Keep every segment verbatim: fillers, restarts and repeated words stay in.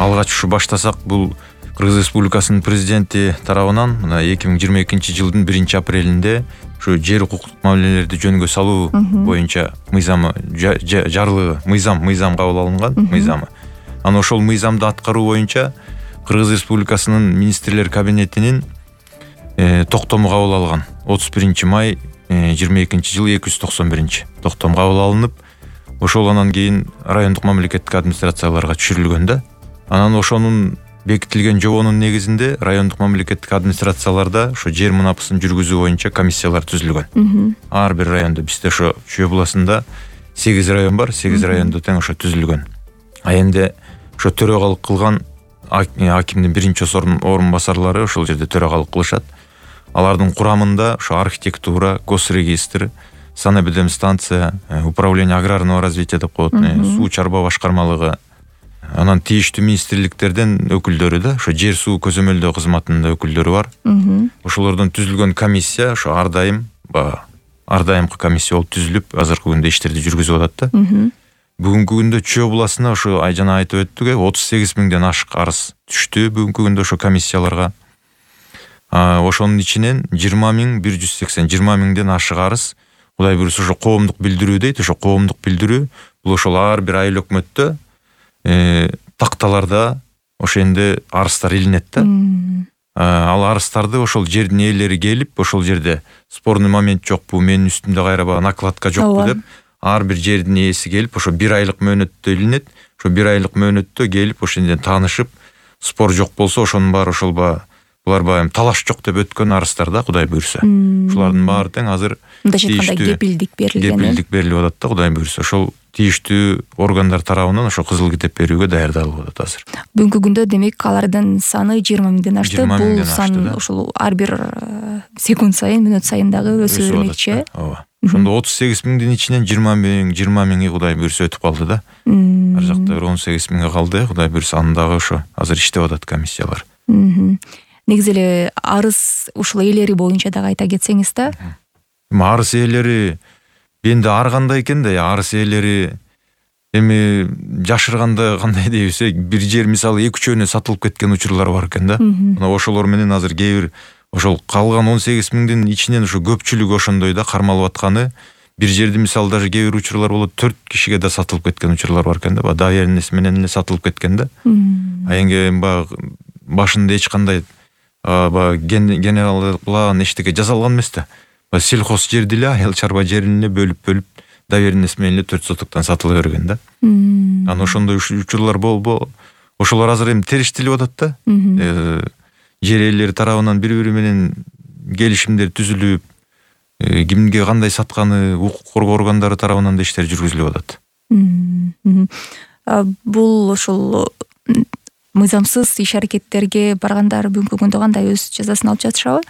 алгач ушу баштасак, бул Кыргыз Республикасынын президенти тарабынан мына эки миң жыйырма экинчи жылдын биринчи апрелинде ушу жер укуктук мамилелерди жөнгө салуу боюнча мыйзамы жарлыгы, мыйзам мыйзам кабыл алынган, мыйзамы. Анан ошол мыйзамды аткаруу боюнча Кыргыз Республикасынын министрлер кабинетинин токтому кабыл алган. отуз биринчи май жыйырма экинчи жылы эки жүз токсон биринчи токтом кабыл алынып, ошол анан кийин райондук мамлекеттик администрацияларга түшүрүлгөн да. Анан ошонун бекитилген жобонун негизинде райондук мамлекеттик администрацияларда ошо жер мунапысын жүргүзүү боюнча комиссиялар түзүлгөн. Ар бир райондо, бизде ошо Чүй областында сегиз район бар, сегиз райондо тең ошо түзүлгөн. А энди ошо төрөгалык кылган акимдин биринчи орун басарлары ошол жерде төрөгалык кылышат. Алардын курамында ошо архитектура, госрегистр, санэпидемстанция, управление аграрного развития деп коет, суу чарба башкармалыгы, анан тийиштүү министрликтерден өкүлдөрү да, ошо жер суу көзөмөлдөө кызматынын да өкүлдөрү бар. Ошолордон түзүлгөн комиссия ошо ар дайым ар дайымкы комиссия болуп түзүлүп, азыркы күндө иштерди жүргүзүп атат да. Бүгүнкү күндө Чүй областына ошо жана айтып өттүк, отуз сегиз миңден ашык арыз түштү бүгүнкү күндө ошо комиссияларга. Ошонун ичинен жыйырма миң бир жүз сексен, жыйырма миңден ашык арыз Кудай буйруса ошо коомдук билдирүү дейт. Ошо коомдук билдирүү бул ошол ар бир айыл өкмөттө такталарда ошо энди арыздар илинет да. Ал арыздарды ошол жердин ээлери келип, ошол жерде спорный момент жокпу, менин үстүмдө кайра накладка жокпу деп, ар бир жердин ээси келип, ошо бир айлык мөөнөттө илинет. Ошо бир айлык мөөнөттө келип, ошонден таанышып, спор жок болсо, ошонун баары ошол ба булар баягы талаш жок деп өткөн арыздар да, Кудай буйруса. Ушулардын баары тең азыр мындайча айтканда кепилдик берилген. Кепилдик берилип атат да, Кудай буйруса. Ошол тийиштүү органдар тарабынан ошо кызыл китеп берүүгө даярдалып атат азыр. Бүгүнкү күндө демек алардын саны жыйырма миңден ашты. Бул сан ошол ар бир секунд сайын, мүнөт сайын дагы өсө бермекчи. Ооба. Ошондо отуз сегиз миңдин ичинен жыйырма миң, жыйырма миңи Кудай буйруса өтүп калды да. Ар жакта бир он сегиз миңге калды, Кудай буйруса аны дагы ошо азыр иштеп атат комиссиялар. Негизи эле арыз ушул ээлери боюнча дагы айта кетсеңиз да. Арыз ээлери энди ар кандай экен да, арыз ээлери эми жашырганда кандай дейбиз, бир жер мисалы эки үчөөнө сатылып кеткен учурлар бар экен да. Мына ошолор менен азыр кээ бир ошол калган он сегиз миңдин ичинен ошо көпчүлүгү ошондой да кармалып атканы. Бир жерде мисалы даже кээ бир учурлар болот, төрт кишиге да сатылып кеткен учурлар бар экен да, доверенность менен эле сатылып кеткен да. А эми баягы башында эч кандай баягы генералдык план эчтеке жасалган эмес да. Сельхоз жерди эле, айыл чарба жерин эле бөлүп-бөлүп доверенность менен эле төрт сотуктан сатыла берген да. Анан ошондой учурлар болбо, ошолор азыр эми териштелип атат да. Жер ээлери тарабынан бири-бири менен келишимдер түзүлүп, кимге кандай сатканы укук коргоо органдары тарабынан да иштер жүргүзүлүп атат. Бул ошол мыйзамсыз иш аракеттерге баргандар бүгүнкү күндө кандай өз жазасын алып жатышабы?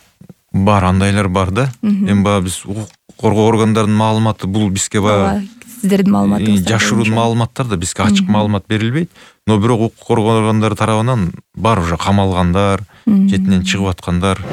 Бар, андайлар бар да. Эми баягы биз укук коргоо органдарынын маалыматы бул бизге баягы сиздердин маалыматыңыздар жашыруу маалыматтар да, бизге ачык маалымат берилбейт. Но бирок укук коргоо органдары тарабынан бар уже камалгандар, четинен чыгып аткандар.